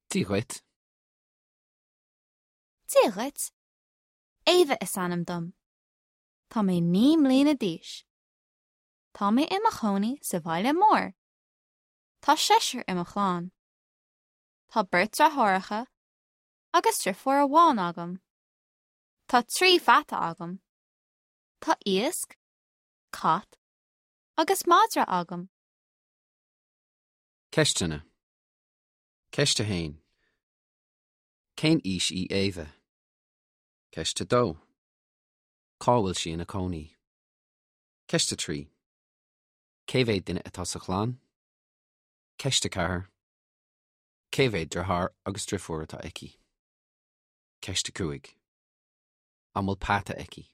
Dia dhuit. Dia dhuit. Éabha is ainm dom. Tá mé 9 mbliana d'aois. Tá mé i mo chónaí sa bhaile mór. Tá seisear i mo chlann. Tá beirt deartháireacha agus deirfiúr amháin agam. Tá 3 pheata agam. Tá iasc, cat agus madra agam. Ceisteanna. Ceist 1. Cén aois í Éabha? Ceist 2. Cá bhfuil sí ina cónaí? Ceist 3. Cé mhéad duine atá sa chlann? Ceist 4. Cé mhéad deartháir agus deirfiúr atá aici? Ceist 5. An bhfuil peata aici?